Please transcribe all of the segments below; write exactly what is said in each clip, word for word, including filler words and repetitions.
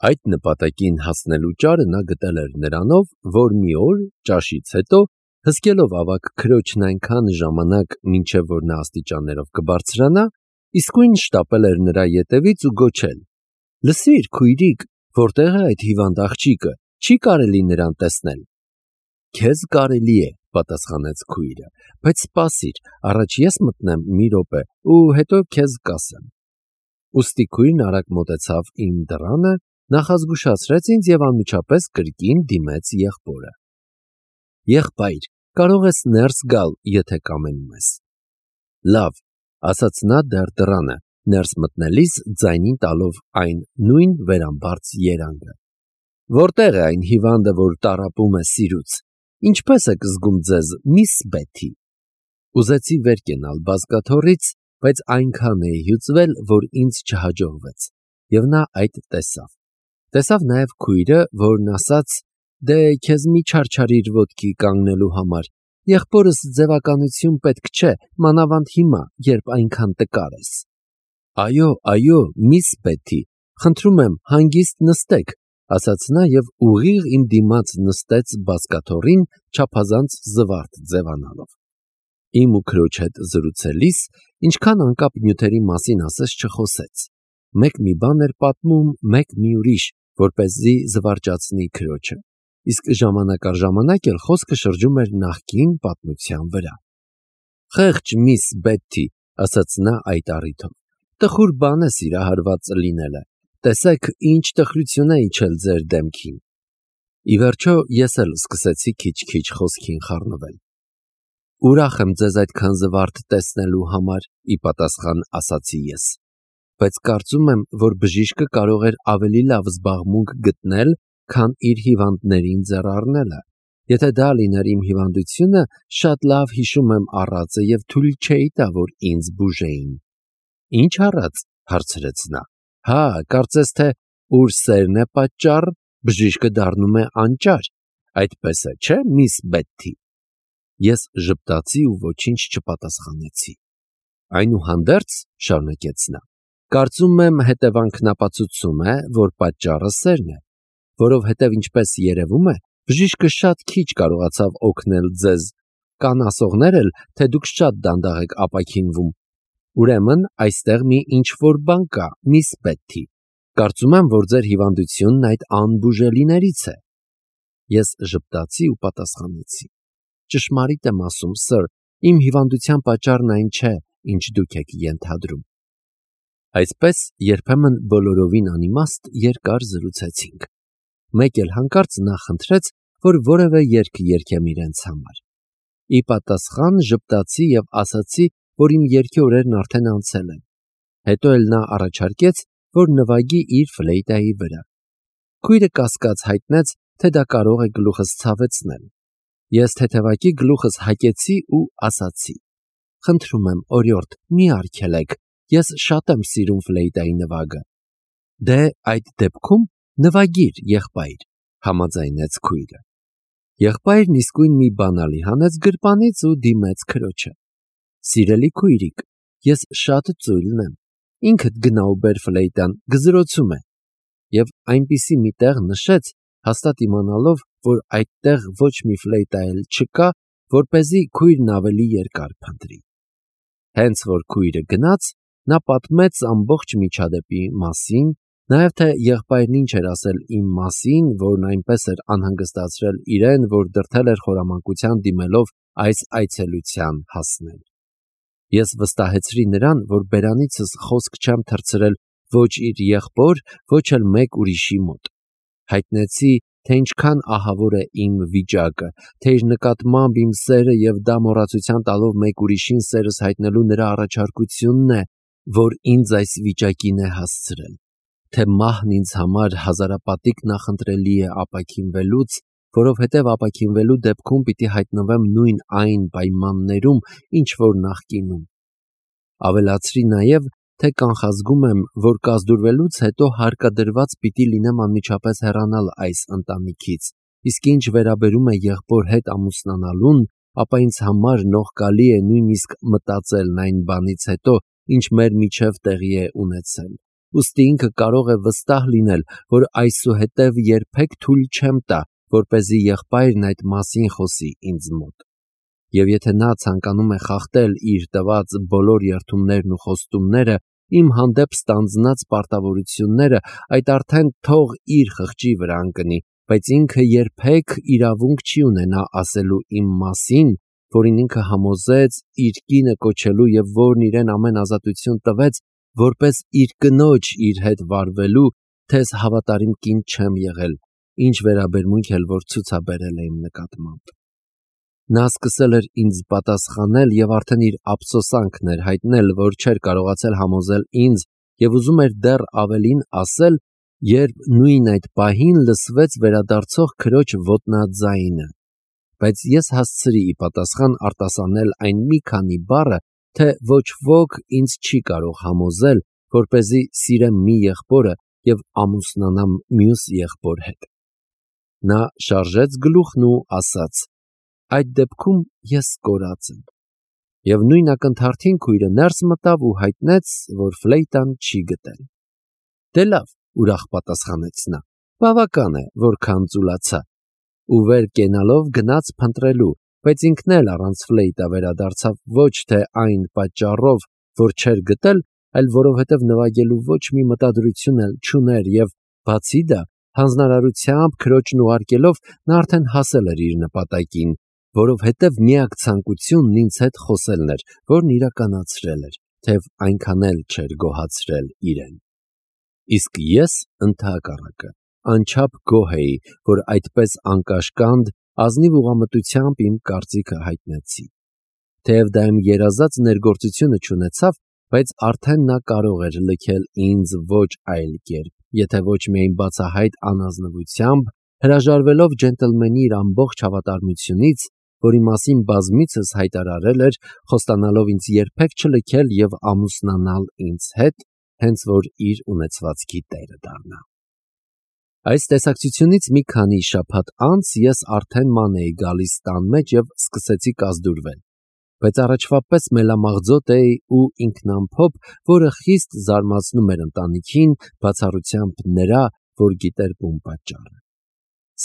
Այդ նպատակին հասնելու ճարը նա գտել էր նրանով, որ մի օր ճաշից հետո, հսկելով ավագ քրոջն այնքան ժամանակ, մինչև որ նա աստիճաններով կբարձրանա, իսկույն շտապել էր նրա ետևից ու գոչել. «Լսիր, քույրիկ, որտե՞ղ է այդ հիվանդ աղջիկը, չի կարելի նրան տեսնել»։ «Քեզ կարելի է», պատասխանեց քույրը, «բայց սպասիր, առաջ ես մտնեմ մի րոպե ու հետո քեզ կասեմ»։ Ուստի քույրն արագ մոտեցավ իմ դռանը, նախազգուշացրեց ինձ և անմիջապես կրկին դիմեց եղբորը։ «Եղբայր, կարող ես ներս գալ, եթե կամենում ես»։ «Լավ», ասաց նա դեռ դռանը, ներս մտնելիս ձայնին տալով այն նույն վերամբարձ երանգը։ «Որտե՞ղ է այն հիվանդը, որ տառապում է սիրուց, ինչպե՞ս եք զգում ձեզ, միս Բեթի»։ Ուզեցի վեր կենալ բազկաթոռից, բայց այնքան էի հյուծվել, որ ինձ չհաջողվեց, և նա այդ տեսավ։ Տեսավ նաև քույրը, որն ասաց. «Դե քեզ մի չարչարիր ոտքի կանգնելու համար, եղբորս ձևականություն պետք չէ, մանավանդ հիմա, երբ այնքան տկար ես»։ «Այո, այո, միս Բեթի, խնդրում եմ, հանգիստ նստեք», ասաց նա և ուղիղ իմ դիմաց նստեց բազկաթոռին, չափազանց զվարթ ձևանալով։ Իմ ու քրոջ հետ զրուցելիս, ինչքան անկապ նյութերի մասին ասես չխոսեց։ Մեկ մի բան էր պատմում, մեկ մի ուրիշ, որպեսզի զվարճացնի քրոջը, իսկ ժամանակ առ ժամանակ էլ խոսքը շրջում էր նախկին պատմության վրա։ «Խեղճ միս Բեթի», ասաց նա այդ առիթով, «տխուր բան է սիրահարված լինելը, տեսեք, ինչ տխրություն է իջել ձեր դեմքին»։ Ի վերջո ես էլ սկսեցի քիչ-քիչ խոսքին խառնվել։ «Ուրախ եմ ձեզ այդքան զվարթ տեսնելու համար», ի պատասխան ասացի ես, «բայց կարծում եմ, որ բժիշկը կարող էր ավելի լավ զբաղմունք գտնել, քան իր հիվանդներին ձեռ առնելը։ Եթե դա լիներ իմ հիվանդությունը, շատ լավ հիշում եմ առածը և թույլ չէի տա, որ ինձ բուժեին»։ «Ինչ առած», հարցրեց նա։ «Հա, կարծես թե ուր սերն է պատճառ, բժիշկը դառնում է անճար, այդպես է, չէ՞, միս Բեթի»։ Ես ժպտացի ու ոչինչ չպատասխանեցի։ «Այնուհանդերձ», շարունակեց նա, «կարծում եմ հետևանքն ապացուցում է, որ պատճառը սերն է, որովհետև, ինչպես երևում է, բժիշկը շատ քիչ կարողացավ օգնել ձեզ, կան ասողներ էլ, թե դուք շատ դանդաղ եք ապաքինվում։ Ուրեմն այստեղ մի ինչ-որ բան կա, միս Բեթի։ Կարծում եմ, որ ձեր հիվանդությունն այդ անբուժելիներից է»։ Ես ժպտացի ու պատասխանեցի. «Ճշմարիտ եմ ասում, սըր, իմ հիվանդության պատճառն այն չէ, ինչ դուք եք ենթադրում»։ Այսպես երբեմն բոլորովին անիմաստ երկար զրուցեցինք։ Մեկ էլ հանկարծ նա խնդրեց, որ որևէ երգ երգեմ իրենց համար։ Ի պատասխան ժպտացի և ասացի, որ իմ երգի օրերն արդեն անցել են։ Հետո էլ նա առաջարկեց, որ նվագի իր ֆլեյտայի վրա։ Քույրը կասկած հայտնեց, թե դա կարող է գլուխս ցավեցնել։ Ես թեթևակի գլուխս հակեցի ու ասացի. «Խնդրում եմ, օրիորդ, մի արգելեք, ես շատ եմ սիրում ֆլեյտայի նվագը»։ «Դե, այդ դեպքում նվագիր, եղբայր», համաձայնեց քույրը։ Եղբայրն իսկույն մի բանալի հանեց գրպանից ու դիմեց քրոջը։ «Սիրելի քույրիկ, ես շատ ծույլն եմ, ինքդ գնա ու բեր ֆլեյտան, գզրոցում է»։ Եվ այնպիսի մի տեղ նշեց, հաստատ իմանալով, որ այդտեղ ոչ մի ֆլեյտա էլ չկա, որպեսզի քույրն ավելի երկար փնտրի։ Հենց որ քույրը գնաց, նա պատմեց ամբողջ միջադեպի մասին, նաև թե եղբայրն ինչ էր ասել իմ մասին, որն այնպես էր անհանգստացրել իրեն, որ դրդել էր խորամանկության դիմելով այս այցելության հասնել։ Ես վստահեցրի նրան, որ բերանիցս խոսք չեմ թռցրել ոչ իր եղբոր, ոչ էլ մեկ ուրիշի մոտ։ Հայտնեցի, թե ինչքան ահավոր է իմ վիճակը, թե իր նկատմամբ իմ սերը և դա մոռացության տալով մեկ ուրիշին սերս հայտնելու նրա առաջարկությունն է, որ ինձ այս վիճակին է հասցրել, թե մահն ինձ համար հազարապատիկ նախընտրելի է ապաքինվելուց, որովհետև ապաքինվելու դեպքում պիտի հայտնվեմ նույն այն պայմաններում, ինչ որ նախկինում։ Ավելացրի նաև, թե կանխազգում եմ, որ կազդուրվելուց հետո հարկադրված պիտի լինեմ անմիջապես հեռանալ այս ընտանիքից, իսկ ինչ վերաբերում է եղբոր հետ ամուսնանալուն, ապա ինձ համար նողկալի է նույնիսկ մտածելն այն բանից հետո, ինչ մեր միջև տեղի է ունեցել, ուստի ինքը կարող է վստահ լինել, որ այսուհետև երբեք թույլ չեմ տա, որպեսզի եղբայրն այդ մասին խոսի ինձ մոտ։ Եվ եթե նա ցանկանում է խախտել իր տված բոլոր երդումներն ու խոստումները, իմ հանդեպ ստանձնած պարտավորությունները, այդ արդեն թող իր խղճի վրա ընկնի, բայց ինքը երբեք իրավունք չի ունենա ասելու իմ մասին, որին ինքը համոզեց իր կինը կոչելու և որն իրեն ամեն ազատություն տվեց, որպես իր կնոջ իր հետ վարվելու, թե ես հավատարիմ կին չեմ եղել, ինչ վերաբերմունք էլ որ ցուցաբերել է իմ նկատմամբ։ Նա սկսել էր ինձ պատասխանել և արդեն իր ափսոսանքն էր հայտնել, որ չէր կարողացել համոզել ինձ և ուզում էր դեռ ավելին ասել, երբ նույն այդ պահին լսվեց վերադարձող քրոջ ոտնաձայնը, բայց ես հասցրի ի պատասխան արտասանել այն մի քանի բառը, թե ոչ ոք ինձ չի կարող համոզել, որպեսզի սիրեմ մի եղբորը և ամուսնանամ մյուս եղբոր հետ։ Նա շարժեց գլուխն ու ասաց. «Այդ դեպքում ես կորած եմ»։ Եվ նույն ակնթարթին քույրը ներս մտավ ու հայտնեց, որ ֆլեյտան չի գտել։ Դե լավ, ուրախ պատասխանեց նա, բավական է, որքան ծուլացա, ու վեր կենալով գնաց փնտրելու, բայց ինքն էլ առանց ֆլեյտա վերադարձավ ոչ թե այն պատճառով, որ չէր գտել, այլ որովհետև նվագելու ոչ մի մտադրություն էլ չուներ և բացի դա, հանձնարարությամբ քրոջն ուղարկելով նա արդեն հասել էր իր նպատակին, որովհետև միակ ցանկությունն ինձ հետ խոսելն էր, որն իրականացրել էր, թեև այնքան էլ չէր գոհացրել իրեն։ Իսկ ես ընդհակառակը անչափ գոհ էի, որ այդպես անկաշկանդ ազնիվ ուղղամտությամբ իմ կարծիքը հայտնեցի։ Թեև դա իմ երազած ներգործությունը չունեցավ, բայց արդեն նա կարող էր լքել ինձ ոչ այլ կերպ, եթե ոչ միայն բացահայտ անազնվությամբ, հրաժարվելով ջենտլմենի իր ամբողջ հավատարմությունից, որի մասին բազմիցս հայտարարել էր, խոստանալով ինձ երբեք չլքել և ամուսնանալ ինձ հետ, հենց որ իր ունեցվածքի տերը դառնա։ Այս տեսակցությունից մի քանի շաբաթ անց ես արդեն ման էի գալիս տան մեջ և սկսեցի կազդուրվել, բայց առաջվա պես մելամաղձոտ էի ու ինքնամփոփ, որը խիստ զարմացնում էր ընտանիքին, բացառությամբ նրա, որ գիտեր բուն պատճառը։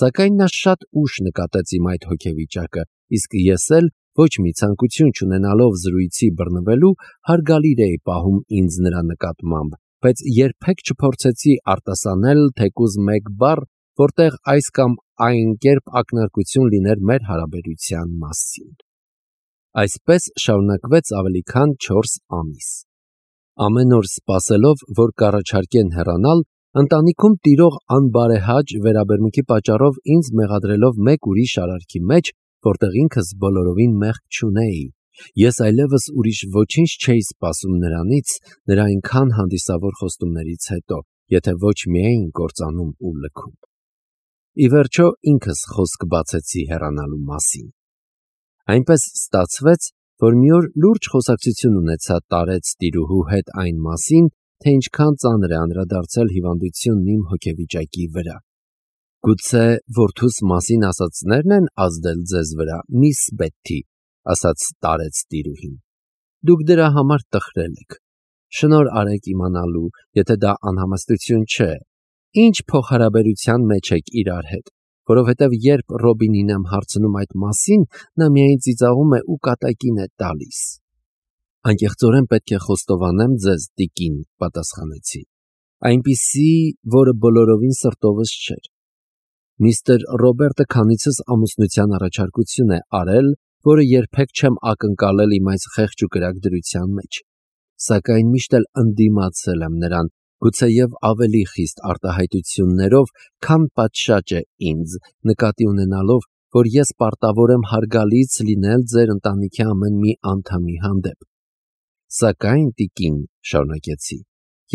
Սակայն նա շատ ուշ նկատեց իմ այդ հոգեվիճակը, իսկ ես էլ, ոչ մի ցանկություն չունենալով զրույցի բռնվելու, հարգալիր էի պահում ինձ նրա նկատմամբ, բայց երբեք չփորձեցի արտասանել թեկուզ մեկ բառ, որտեղ այս կամ այն կերպ ակնարկություն լիներ մեր հարաբերության մասին։ Այսպես շարունակվեց ավելի քան չորս ամիս։ Ամեն օր սպասելով, որ կառաջարկեն հեռանալ, ընտանիքում տիրող անբարեհաճ վերաբերմունքի պատճառով ինձ մեղադրելով մեկ ուրիշ արարքի մեջ, որտեղ ինքս բոլորովին մեղք չունեի, ես այլևս ուրիշ ոչինչ չէի սպասում նրանից, նրա այնքան հանդիսավոր խոստումներից հետո, եթե ոչ միայն կործանում ու լքում։ Ի վերջո ինքս խոսք բացեցի հեռանալու մասին։ Այնպես ստացվեց, որ մի օր լուրջ խոսակցություն ունեցա տարեց տիրուհու հետ այն մասին, թե ինչքան ծանր է անդրադարձել հիվանդությունն իմ հոգեվիճակի վրա։ Գուցե որդուս մասին ասածներն են ազդել ձեզ վրա, միս Բեթթի, ասաց տարեց տիրուհին։ Դուք դրա համար տխրել եք։ Շնորհ արեք իմանալու, եթե դա անհամեստություն չէ, ինչ փոխհարաբերության մեջ եք իրար հետ, որովհետև երբ Ռոբինին եմ հարցնում այդ մասին, նա միայն ծիծաղում է ու կատակին է տալիս։ Անկեղծորեն պետք է խոստովանեմ ձեզ, տիկին, պատասխանեցի, այնպիսի, որը բոլորովին սրտովս չէր։ Միստր Ռոբերտը քանիցս ամուսնության առաջարկություն է արել, որը երբեք չեմ ակնկալել իմ այս խեղճ ու կրակ դրության մեջ, սակայն միշտ էլ ընդդիմացել եմ նրան, գուցեև ավելի խիստ արտահայտություններով, քան պատշաճ է ինձ, նկատի ունենալով, որ ես պարտավոր եմ հարգալից լինել ձեր ընտանիքի ամեն մի անդամի հանդեպ։ Սակայն, տիկին, շարունակեցի,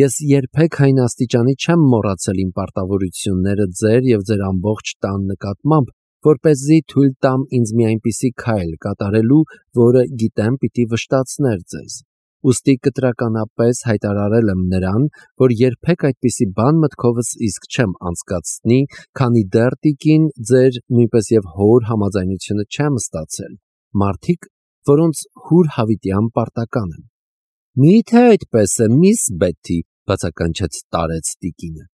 ես երբեք այն աստիճանի չեմ մոռացել իմ պարտավորությունները ձեր և ձեր ամբողջ տան նկատմամբ, որպեսզի թույլ տամ ինձ մի այնպիսի քայլ կատարելու, որը գիտեմ պիտի վշտացներ ձեզ։ Ուստի կտրականապես հայտարարել եմ նրան, որ երբեք այդպիսի բան մտքովս իսկ չեմ անցկացնի, քանի դեռ, տիկին, ձեր նույնպես և հոր համաձայնությունը չեմ ստացել, մարդիկ, որոնց հուր հավիտյան պարտական եմ։ Մի՞թե այդպես է, միս Բեթթի, բացականչեց տարեց տիկինը։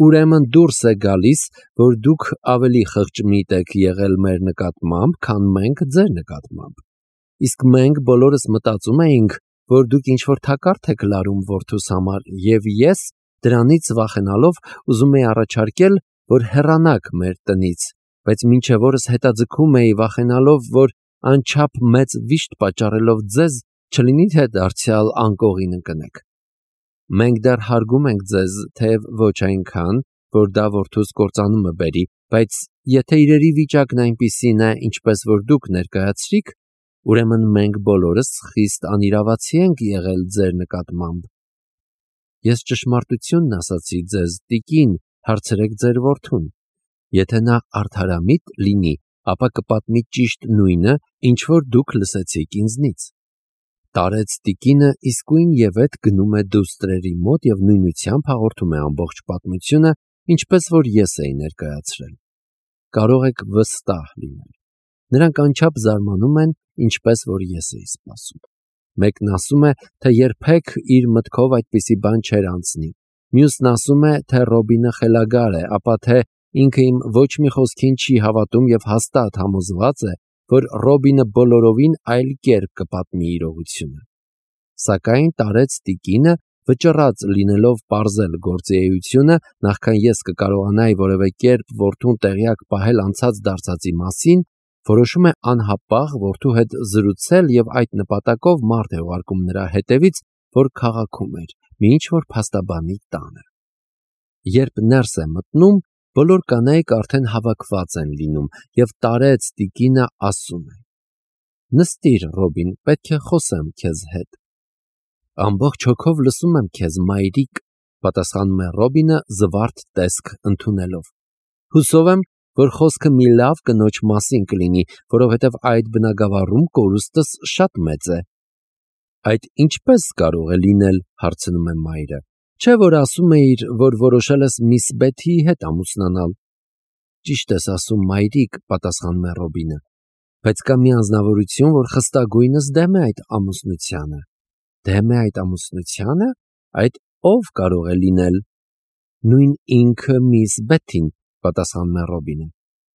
Ուրեմն դուրս է գալիս, որ դուք ավելի խղճմիտ եք եղել մեր նկատմամբ, քան մենք ձեր նկատմամբ։ Իսկ մենք բոլորս մտածում էինք, որ դուք ինչ-որ թակարդ եք լարում որդուս համար, եւ ես, դրանից վախենալով, ուզում էի առաջարկել, որ հեռանաք մեր տնից, բայց մինչև օրս հետաձգում էի վախենալով, որ անչափ մեծ վիշտ պատճառելով ձեզ, չլինի թե դարձյալ անկողին ընկնեք։ Մենք դեռ հարգում ենք ձեզ, թեև ոչ այնքան, որ դա որդուս կործանումը բերի, բայց եթե իրերի վիճակն այնպիսին է, ինչպես որ դուք ներկայացրիք, ուրեմն մենք բոլորս խիստ անիրավացի ենք եղել ձեր նկատմամբ։ Ես ճշմարտությունն ասացի ձեզ, տիկին, հարցրեք ձեր որդուն։ Եթե նա արդարամիտ լինի, ապա կպատմի ճիշտ նույնը, ինչ որ դուք լսեցիք ինձնից։ Տարեց տիկինը իսկույն եւ այդ գնում է դուստրերի մոտ եւ նույնությամբ հաղորդում է ամբողջ պատմությունը, ինչպես որ ես էի ներկայացրել։ Կարող եք վստահ լինել։ Նրանք անչափ զարմանում են, ինչպես որ ես էի սպասում։ Մեկն ասում է, թե երբեք իր մտքով այդպիսի բան չէր անցնի։ Մյուսն ասում է, թե Ռոբինը խելագար է, ապա թե ինքը իմ ոչ մի խոսքին չի հավատում եւ հաստատ համոզված է, որ Ռոբինը բոլորովին այլ կերպ կպատմի իրողությունը։ Սակայն տարեց տիկինը, վճռած լինելով պարզել գործի էությունը, նախքան ես կկարողանայի որևէ կերպ որդուն տեղյակ պահել անցած դարձածի մասին, որոշում է անհապաղ որդու հետ զրուցել եւ այդ նպատակով մարդ է ուղարկում նրա հետևից, որ քաղաքում էր, մի ինչ-որ փաստաբանի տանը։ Երբ ներս է մտնում, բոլոր կանայք արդեն հավաքված են լինում եւ տարեց տիկինը ասում է. Նստիր, Ռոբին, պետք է խոսեմ քեզ հետ։ Ամբողջ հոգով լսում եմ քեզ, մայրիկ, պատասխանում է Ռոբինը զվարթ տեսք ընդունելով։ Հուսով եմ, որ խոսքը մի լավ կնոջ մասին կլինի, որովհետև այդ բնագավառում կորուստս շատ մեծ է։ Այդ ինչպես կարող է լինել, հարցնում է մայրը։ Չէ՞ որ ասում էիր, որ որոշել ես միս Բեթիի հետ ամուսնանալ։ Ճիշտ ես ասում, մայրիկ, պատասխանում է Ռոբինը, բայց կա մի անձնավորություն, որ խստագույնս դեմ է այդ ամուսնությանը։ Դեմ է այդ ամուսնությանը։ Այդ ով կարող է լինել։ Նույն ինքը միս Բեթին, պատասխանում է Ռոբինը։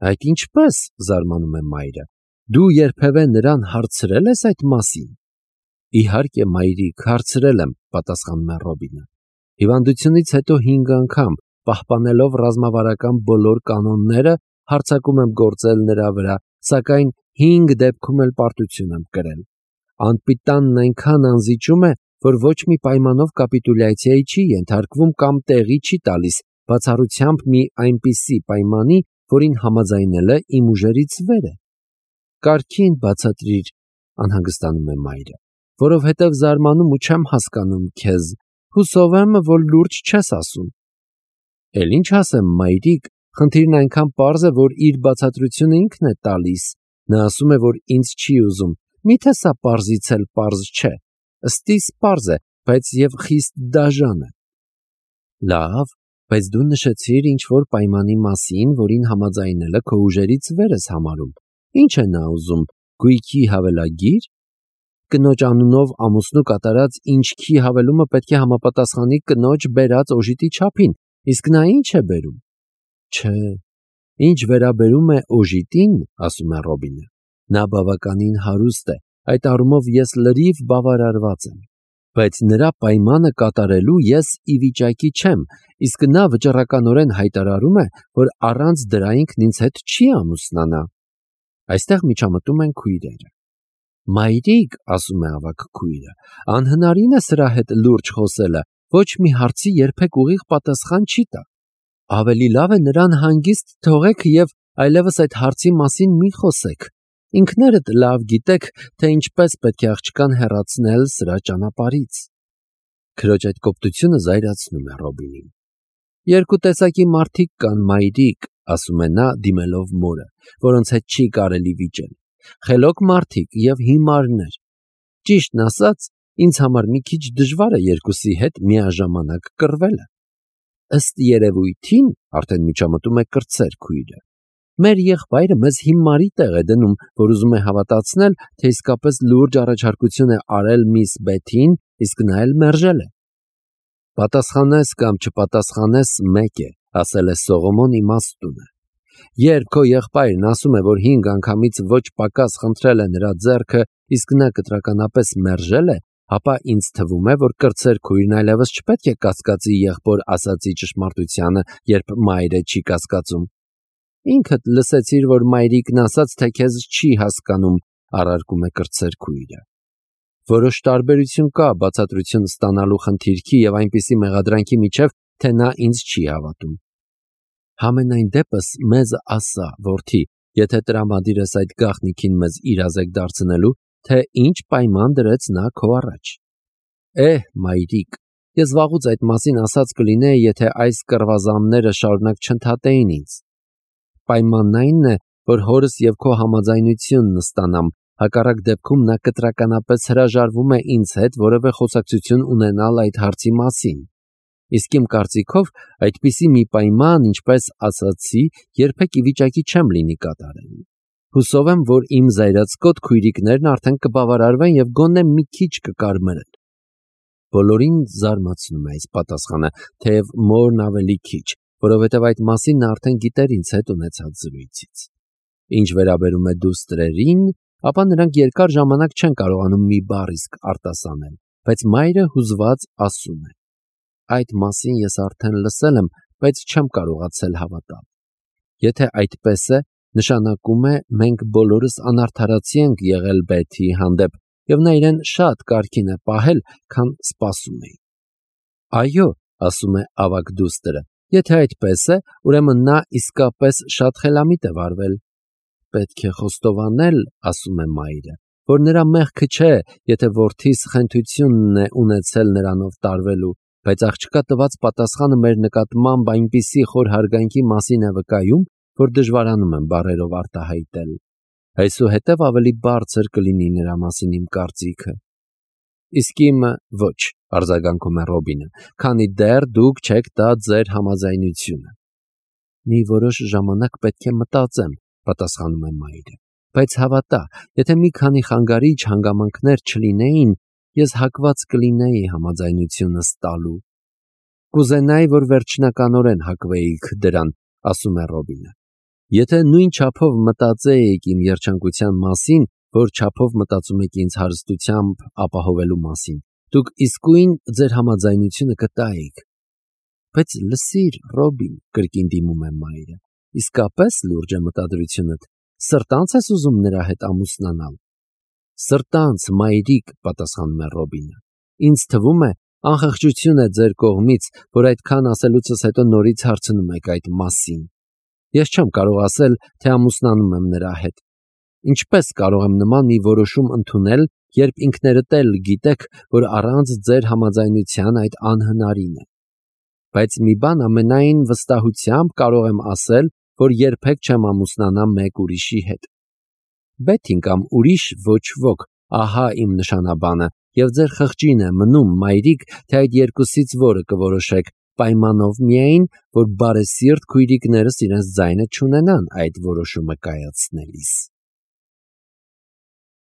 Այդ ինչպես, զարմանում է մայրը։ Դու երբևէ նրան հարցրել ես այդ մասին։ Իհարկե, մայրիկ, հարցրել եմ, պատասխանում է Ռոբինը։ Հիվանդությունից հետո հինգ անգամ, պահպանելով ռազմավարական բոլոր կանոնները, հարձակում եմ գործել նրա վրա, սակայն հինգ դեպքում էլ պարտություն եմ կրել։ Անպիտանն այնքան անզիջում է, որ ոչ մի պայմանով կապիտուլյացիայի չի ենթարկվում կամ տեղի չի տալիս, բացառությամբ մի այնպիսի պայմանի, որին համաձայնելը իմ ուժերից վեր է։ Կարգին բացատրիր, անհանգստանում է մայրը, որովհետև զարմանում ու չեմ հասկանում քեզ, հուսով եմ, որ լուրջ չես ասում։ Էլ ինչ ասեմ, մայրիկ, խնդիրն այնքան պարզ է, որ իր բացատրությունը ինքն է տալիս։ Նա ասում է, որ ինձ չի ուզում։ Միթե սա պարզից էլ պարզ չէ։ Ըստիս պարզ է, բայց եւ խիստ դաժան է։ Լավ, բայց դու նշեցիր ինչ-որ պայմանի մասին, որին համաձայնելը քո ուժերից վեր ես համարում։ Ինչ է նա ուզում, գույքի հավելագիր։ Կնոջ անունով ամուսնու կատարած ինչքի հավելումը պետք է համապատասխանի կնոջ բերած օժիտի չափին, իսկ նա ինչ է բերում։ Չէ, ինչ վերաբերում է օժիտին, ասում է Ռոբինը, նա բավականին հարուստ է, այդ առումով ես լրիվ բավարարված եմ, բայց նրա պայմանը կատարելու ես ի վիճակի չեմ, իսկ նա վճռականորեն հայտարարում է, որ առանց դրա ինքն ինձ հետ չի ամուսնանա։ Այստեղ միջամտում են քույրերը։ Մայրիկ, ասում է ավագ քույրը, անհնարին է սրա հետ լուրջ խոսելը, ոչ մի հարցի երբեք ուղիղ պատասխան չի տա։ Ավելի լավ է նրան հանգիստ թողեք եւ այլևս այդ հարցի մասին մի խոսեք։ Ինքներդ լավ գիտեք, թե ինչպես պետք է աղջկան հեռացնել սրա ճանապարհից։ Քրոջ այդ կոպտությունը զայրացնում է Ռոբինին։ Երկու տեսակի մարդիկ կան, մայրիկ, ասում է նա դիմելով մորը, որոնց հետ չի կարելի վիճել։ Խելոք մարդիկ եւ հիմարներ։ Ճիշտն ասած, ինձ համար մի քիչ դժվար է երկուսի հետ միաժամանակ կռվելը։ Ըստ երևույթին, արդեն միջամտում է կրտսեր քույրը։ Մեր եղբայրը մեզ հիմարի տեղ է դնում, որ ուզում է հավատացնել, թե իսկապես լուրջ առաջարկություն է արել միս Բեթին, իսկ նա էլ մերժել է։ Պատասխանես կամ չպատասխանես մեկ է, ասել է Սողոմոն իմաստուն է։ Երբ քո եղբայրն ասում է, որ հինգ անգամից ոչ պակաս խնդրել է նրա ձեռքը, իսկ նա կտրականապես մերժել է, ապա ինձ թվում է, որ կրտսեր քույրն այլևս չպետք է կասկածի եղբոր ասածի ճշմարտությանը, երբ մայրը չի կասկածում։ Ինքդ լսեցիր, որ մայրիկն ասաց, թե քեզ չի հասկանում, առարկում է կրտսեր քույրը։ Որոշ տարբերություն կա բացատրություն ստանալու խնդիրքի եւ այնպիսի մեղադրանքի միջև, թե նա ինձ չի հավատում։ Համենայն դեպս մեզ ասա, որդի, եթե տրամադիր ես այդ գաղտնիքին մեզ իրազեկ դարձնելու, թե ինչ պայման դրեց նա քո առաջ։ Էհ, մայրիկ, ես վաղուց այդ մասին ասած կլինեի, եթե այս կռվազանները շարունակ չընդհատեին ինձ։ Պայմանն այնն է, որ հորս եւ քո համաձայնությունն ստանամ, հակառակ դեպքում նա կտրականապես հրաժարվում է ինձ հետ որևէ խոսակցություն ունենալ այդ հարցի մասին։ Իսկ իմ կարծիքով այդպիսի մի պայման, ինչպես ասացի, երբեք ի վիճակի չեմ լինի կատարել։ Հուսով եմ, որ իմ զայրացկոտ քույրիկներն արդեն կբավարարվեն եւ գոնե մի քիչ կկարմրեն։ Բոլորին զարմացնում է այս պատասխանը, թեև մորն ավելի քիչ, որովհետև այդ մասին նա արդեն գիտեր ինձ հետ ունեցած զրույցից։ Ինչ վերաբերում է դուստրերին, ապա նրանք երկար ժամանակ չեն կարողանում մի բառ իսկ արտասանել, բայց մայրը հուզված ասում է. Այդ մասին ես արդեն լսել եմ, բայց չեմ կարողացել հավատալ։ Եթե այդպես է, նշանակում է մենք բոլորս անարդարացի ենք եղել Բեթի հանդեպ, եւ նա իրեն շատ կարգին է պահել, քան սպասում էի։ Այո, ասում է ավագ դուստրը, եթե այդպես է, ուրեմն նա իսկապես շատ խելամիտ է վարվել։ Պետք է խոստովանել, ասում է մայրը, որ նրա մեղքը չէ, եթե որդիս խենթությունն է ունեցել նրանով տարվելու, բայց աղջկա տված պատասխանը մեր նկատմամբ այնպիսի խոր հարգանքի մասին է վկայում, որ դժվարանում եմ բառերով արտահայտել։ Այսուհետև ավելի բարձր կլինի նրա մասին իմ կարծիքը։ Իսկ իմը ոչ, արձագանքում է Ռոբինը, քանի դեռ դուք չեք տա ձեր համաձայնությունը։ Մի որոշ ժամանակ պետք է մտածեմ, պատասխանում է մայրը, բայց հավատա, եթե մի քանի խանգարիչ հանգամանքներ չլինեին, ես հակված կլինեի համաձայնությունս տալու։ Կուզենայի, որ վերջնականորեն հակվեիք դրան, ասում է Ռոբինը։ Եթե նույն չափով մտածեիք իմ երջանկության մասին, որ չափով մտածում եք ինձ հարստությամբ ապահովելու մասին, դուք իսկույն ձեր համաձայնությունը կտայիք։ Բայց լսիր, Ռոբին, կրկին դիմում է մայրը, իսկապես լուրջ է մտադրությունդ, սրտանց ես ուզում նրա հետ ամուսնանալ։ Սրտանց, մայրիկ, պատասխանում է Ռոբինը։ Ինձ թվում է, անխղճություն է ձեր կողմից, որ այդքան ասելուցս հետո նորից հարցնում եք այդ մասին։ Ես չեմ կարող ասել, թե ամուսնանում եմ նրա հետ։ Ինչպես կարող եմ նման մի որոշում ընդունել, երբ ինքներդ էլ գիտեք, որ առանց ձեր համաձայնության այդ անհնարին է։ Բայց մի բան ամենայն վստահությամբ կարող եմ ասել, որ երբեք չեմ ամուսնանա մեկ ուրիշի հետ։ Բեթին կամ ուրիշ ոչ ոք, ահա իմ նշանաբանը, եւ ձեր խղճին է մնում, մայրիկ, թե այդ երկուսից որը կորոշեք, պայմանով միայն, որ բարեսիրտ քույրիկներս իրենց ձայնը չունենան այդ որոշումը կայացնելիս։